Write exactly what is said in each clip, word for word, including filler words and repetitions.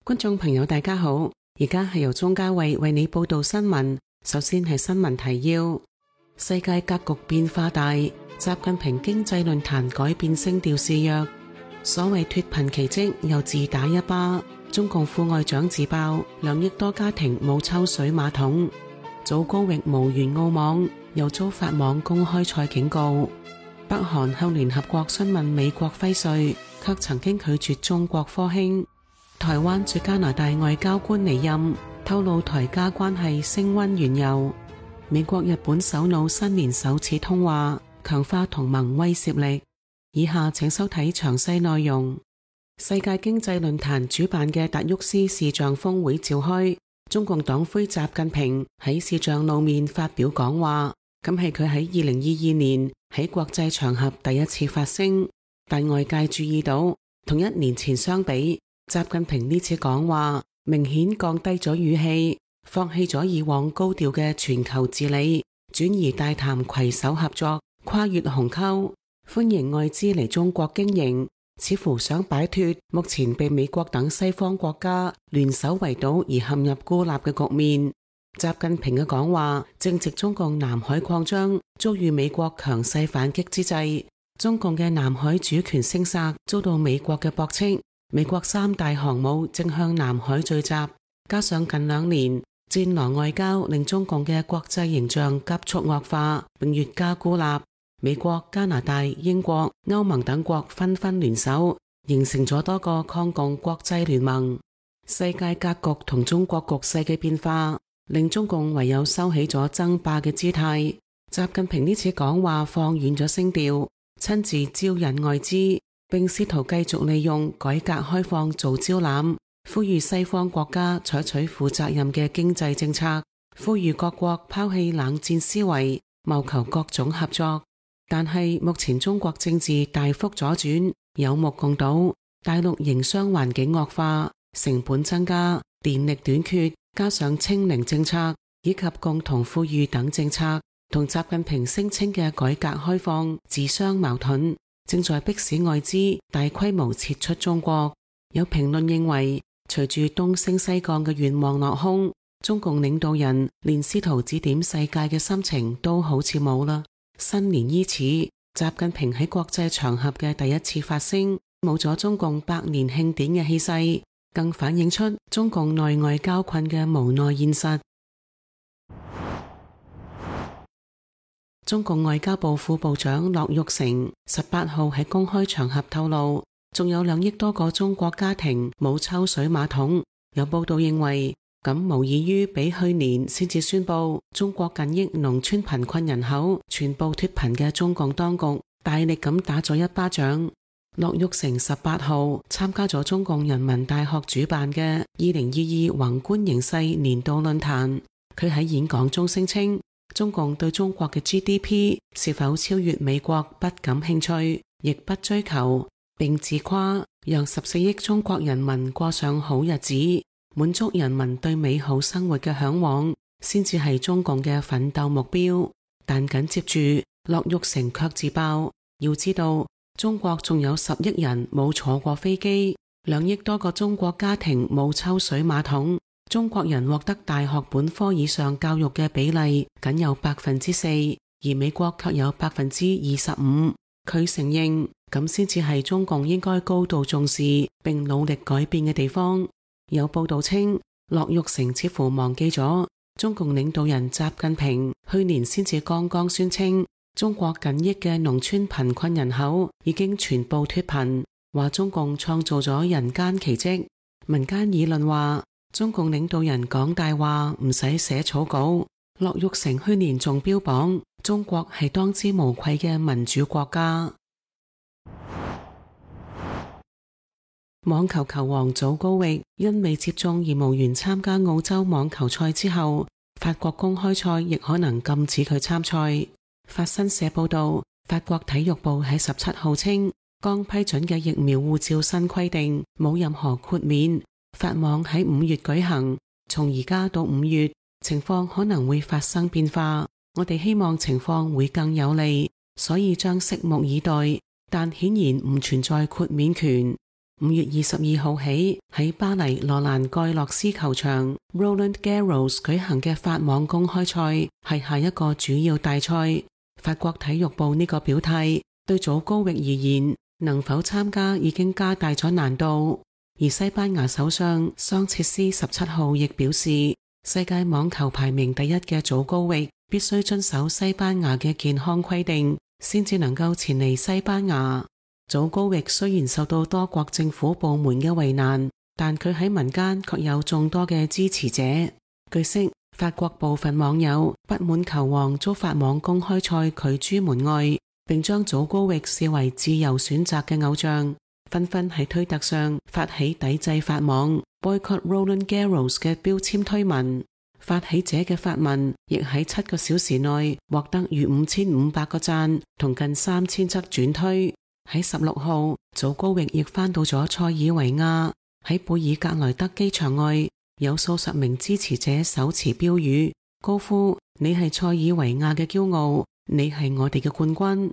觀眾朋友大家好，而家係由鍾嘉慧為你報道新聞。首先係新聞提要：世界格局變化大，習近平經濟論壇改變聲調示弱，所謂脫貧奇蹟又自打一巴。中共副外長自爆兩億多家庭冇抽水馬桶。祖高域無緣澳網，又遭法網公開賽警告。北韓向聯合國詢問美國輝瑞，卻曾經拒絕中國科興。台灣駐加拿大外交官離任，透露台加關係升溫緣由。美國日本首腦新年首次通話，強化同盟威懾力。以下請收睇詳細內容。世界經濟論壇主辦嘅達沃斯視像峰會召開，中共黨魁習近平喺視像露面發表講話，咁係佢喺二零二二年喺國際場合第一次發聲，但外界注意到同一年前相比，習近平呢次講話明顯降低咗語氣，放棄咗以往高調嘅全球治理，轉而大談攜手合作、跨越鴻溝，歡迎外資嚟中國經營，似乎想擺脫目前被美國等西方國家聯手圍堵而陷入孤立嘅局面。習近平嘅講話正值中共南海擴張遭遇美國強勢反擊之際，中共嘅南海主權聲索遭到美國嘅駁斥。美國三大航母正向南海聚集，加上近兩年戰狼外交令中共嘅國際形象急速惡化，並越加孤立。美國、加拿大、英國、歐盟等國紛紛聯手，形成咗多個抗共國際聯盟。世界格局同中國局勢嘅變化，令中共唯有收起咗爭霸嘅姿態。習近平呢次講話放軟咗聲調，親自招引外資，並試圖繼續利用改革開放做招攬，呼籲西方國家採取負責任嘅經濟政策，呼籲各國拋棄冷戰思維，謀求各種合作。但係目前中國政治大幅左轉，有目共睹，大陸營商環境惡化，成本增加，電力短缺，加上清零政策以及共同富裕等政策，同習近平聲稱嘅改革開放自相矛盾，正在迫使外資大規模撤出中國。有評論認為，隨住東升西降嘅願望落空，中共領導人連試圖指點世界嘅心情都好似冇啦。新年伊始，習近平喺國際場合嘅第一次發聲，冇咗中共百年慶典嘅氣勢，更反映出中共內外交困嘅無奈現實。中共外交部副部長樂玉成十八號喺公開場合透露，仲有兩億多個中國家庭冇抽水馬桶。有報道認為，咁無異於比去年先至宣布中國近億農村貧困人口全部脫貧嘅中共當局大力咁打咗一巴掌。樂玉成十八號參加咗中共人民大學主辦嘅二零二二宏觀形勢年度論壇，佢喺演講中聲稱，中共對中國嘅 G D P 是否超越美國不感興趣，亦不追求，並自誇讓十四億中國人民過上好日子，滿足人民對美好生活嘅向往，先至係中共嘅奮鬥目標。但緊接住，樂玉成卻自爆，要知道中國仲有十億人冇坐過飛機，兩億多個中國家庭冇抽水馬桶，中國人獲得大學本科以上教育嘅比例僅有百分之四，而美國卻有百分之二十五。佢承認咁先至係中共應該高度重視並努力改變嘅地方。有報道稱，樂玉成似乎忘記咗中共領導人習近平去年先至剛剛宣稱，中國近億嘅農村貧困人口已經全部脫貧，話中共創造咗人間奇蹟。民間議論話，中共領導人講大話唔使寫草稿。樂玉成去年仲標榜中國係當之無愧嘅民主國家。網球球王祖高域因未接種而無緣參加澳洲網球賽之後，法國公開賽亦可能禁止佢參賽。法新社報道，法國體育部喺十七號稱，剛批准嘅疫苗護照新規定冇任何豁免，法網喺五月舉行，從而家到五月情況可能會發生變化，我哋希望情況會更有利，所以將拭目以待，但顯然唔存在豁免權。五月二十二號起喺巴黎羅蘭蓋洛斯球場 Roland Garros 舉行嘅法網公開賽係下一個主要大賽。法國體育部呢個表態對祖高域而言，能否參加已經加大咗難度。而西班牙首相桑切斯十七號亦表示，世界網球排名第一嘅祖高域必須遵守西班牙嘅健康規定，先至能夠前嚟西班牙。祖高域雖然受到多國政府部門嘅為難，但佢喺民間卻有眾多嘅支持者。據悉，法國部分網友不滿球王遭法網公開賽拒諸門外，並將祖高域視為自由選擇嘅偶像，紛紛喺推特上發起抵制法網 Boycott Roland Garros 嘅標籤推文。發起者嘅發文亦喺七個小時內獲得逾五千五百個讚同近三千則轉推。喺十六號，祖高域亦返到咗塞爾維亞，喺貝爾格萊德機場外有數十名支持者手持標語，高呼你係塞爾維亞嘅驕傲，你係我哋嘅冠軍。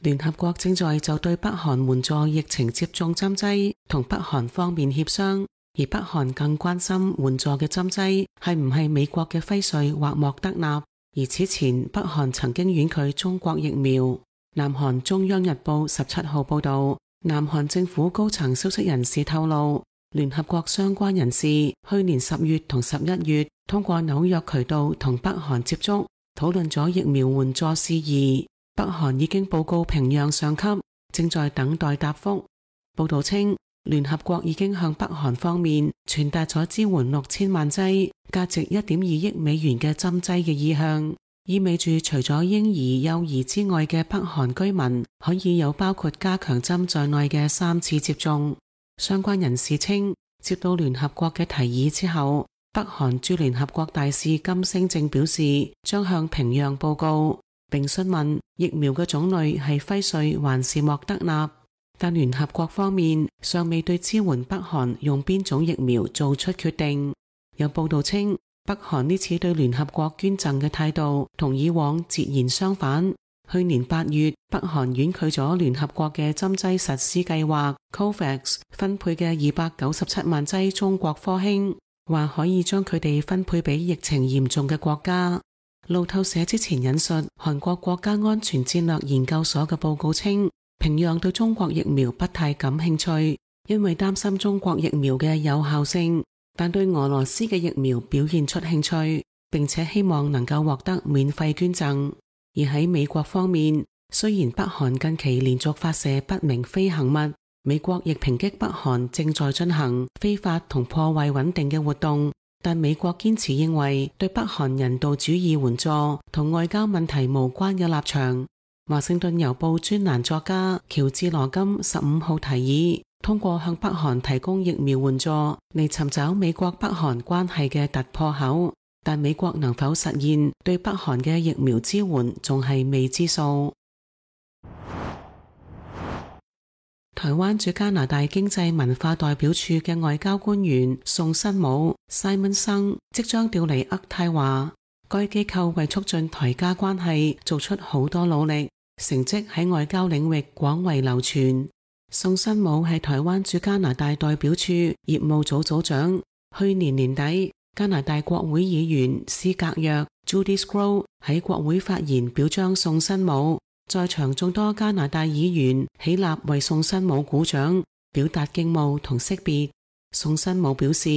聯合國正在就對北韓援助疫情接種針劑同北韓方面協商，而北韓更關心援助嘅針劑係唔係美國嘅輝瑞或莫德納。而此前北韓曾經婉拒中國疫苗。南韓中央日報十七號報道，南韓政府高層消息人士透露，聯合國相關人士去年十月同十一月通過紐約渠道同北韓接觸，討論咗疫苗援助事宜。北韓已經報告平壤上級，正在等待答覆。報道稱，聯合國已經向北韓方面傳達咗支援六千萬劑、價值一點二億美元嘅針劑嘅意向，意味住除咗嬰兒、幼兒之外嘅北韓居民可以有包括加強針在內嘅三次接種。相關人士稱，接到聯合國嘅提議之後，北韓駐聯合國大使金星正表示將向平壤報告，並詢問疫苗嘅種類係輝瑞還是莫德納，但聯合國方面尚未對支援北韓用邊種疫苗做出決定。有報道稱，北韓呢次對聯合國捐贈嘅態度同以往截然相反。去年八月，北韓婉拒咗聯合國嘅針劑實施計劃 COVAX 分配嘅二百九十七萬劑中國科興，話可以將佢哋分配俾疫情嚴重嘅國家。路透社之前引述韓國國家安全戰略研究所嘅報告稱，平壤對中國疫苗不太感興趣，因為擔心中國疫苗嘅有效性，但對俄羅斯嘅疫苗表現出興趣，並且希望能夠獲得免費捐贈。而喺美國方面，雖然北韓近期連續發射不明飛行物，美國亦抨擊北韓正在進行非法同破壞穩定嘅活動，但美國堅持認為對北韓人道主義援助同外交問題無關嘅立場。華盛頓郵報專欄作家喬治羅金十五號提議，通過向北韓提供疫苗援助嚟尋找美國北韓關係嘅突破口，但美國能否實現對北韓嘅疫苗支援仲係未知數。台灣駐加拿大經濟文化代表處嘅外交官員宋新武 Simon 生即將調離渥太華，該機構為促進台加關係做出好多努力，成績喺外交領域廣為流傳。宋新武係台灣駐加拿大代表處業務組組長，去年年底加拿大國會議員斯格約 Judy Scrow 喺國會發言表彰宋新武。在場眾多加拿大議員起立為宋新武鼓掌，表達敬慕同惜別。宋新武表示，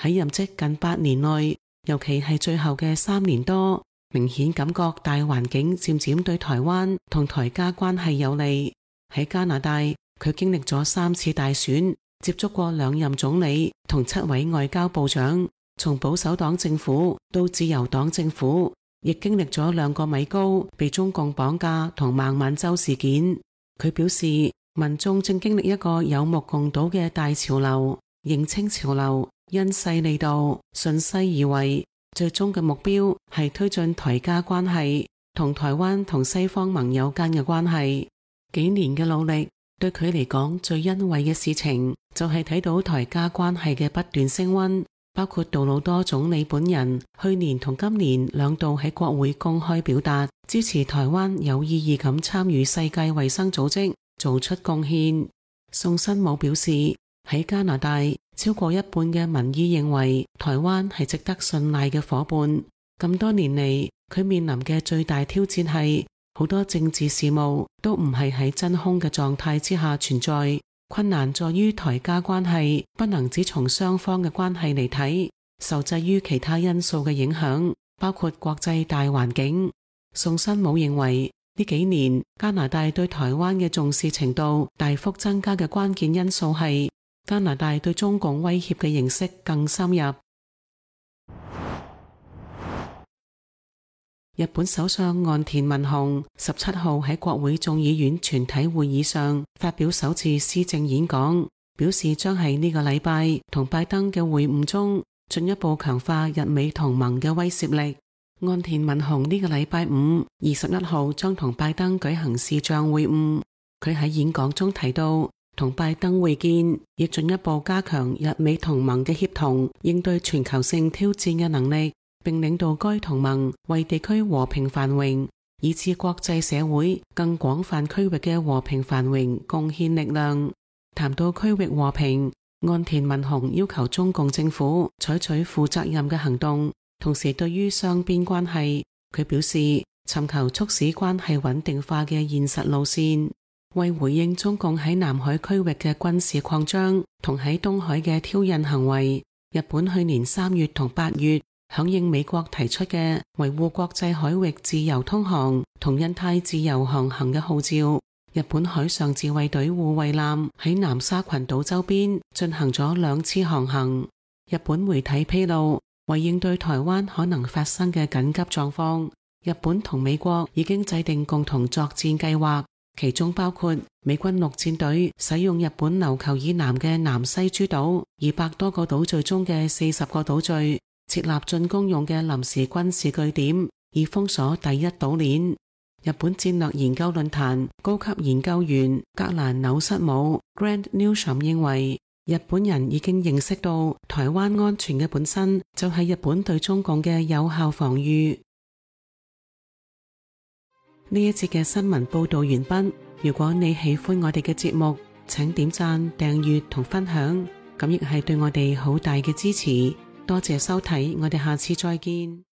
喺任職近八年內，尤其係最後嘅三年多，明顯感覺大環境漸漸對台灣同台加關係有利。喺加拿大，佢經歷咗三次大選，接觸過兩任總理同七位外交部長，從保守黨政府到自由黨政府，亦經歷咗兩個米高被中共綁架同孟晚舟事件。佢表示，民眾正經歷一個有目共睹嘅大潮流，認清潮流，因勢利導，順勢而為，最終嘅目標係推進台加關係同台灣同西方盟友間嘅關係。幾年嘅努力對佢嚟講最欣慰嘅事情就係睇到台加關係嘅不斷升溫，包括杜魯多總理本人去年同今年兩度喺國會公開表達支持台灣有意義咁參與世界衛生組織，做出貢獻。宋新武表示，喺加拿大超過一半嘅民意認為台灣係值得信賴嘅夥伴。咁多年嚟，佢面臨嘅最大挑戰係好多政治事務都唔係喺真空嘅狀態之下存在。困難在於台加關係不能只從雙方嘅關係嚟睇，受制於其他因素嘅影響，包括國際大環境。宋新武認為呢幾年加拿大對台灣嘅重視程度大幅增加嘅關鍵因素係加拿大對中共威脅嘅認識更深入。日本首相岸田文雄十七號喺國會眾議院全體會議上發表首次施政演講，表示將喺呢個禮拜同拜登嘅會晤中進一步強化日美同盟嘅威懾力。岸田文雄呢個禮拜五二十一號將同拜登舉行視像會晤，佢喺演講中提到，同拜登會見亦進一步加強日美同盟嘅協同，應對全球性挑戰嘅能力，並領導該同盟為地區和平繁榮以至國際社會更廣泛區域嘅和平繁榮貢獻力量。談到區域和平，岸田文雄要求中共政府採取負責任嘅行動，同時對於雙邊關係，佢表示尋求促使關係穩定化嘅現實路線。為回應中共喺南海區域嘅軍事擴張同喺東海嘅挑釁行為，日本去年三月同八月響應美國提出嘅維護國際海域自由通航同印太自由航行嘅號召，日本海上自衛隊護衛艦喺南沙群島周邊進行咗兩次航行。日本媒體披露，為應對台灣可能發生嘅緊急狀況，日本同美國已經制定共同作戰計劃，其中包括美軍陸戰隊使用日本琉球以南嘅南西諸島二百多個島嶼中嘅四十個島嶼設立進攻用嘅臨時軍事據點，以封鎖第一島鏈。日本戰略研究論壇高級研究員格蘭紐瑟姆 Grant Newsham 認為，日本人已經認識到台灣安全嘅本身就係日本對中共嘅有效防禦。呢一節嘅新聞報道完畢。如果你喜歡我哋嘅節目，請點讚、訂閱同分享，咁亦係對我哋好大嘅支持。多謝收睇，我哋下次再見。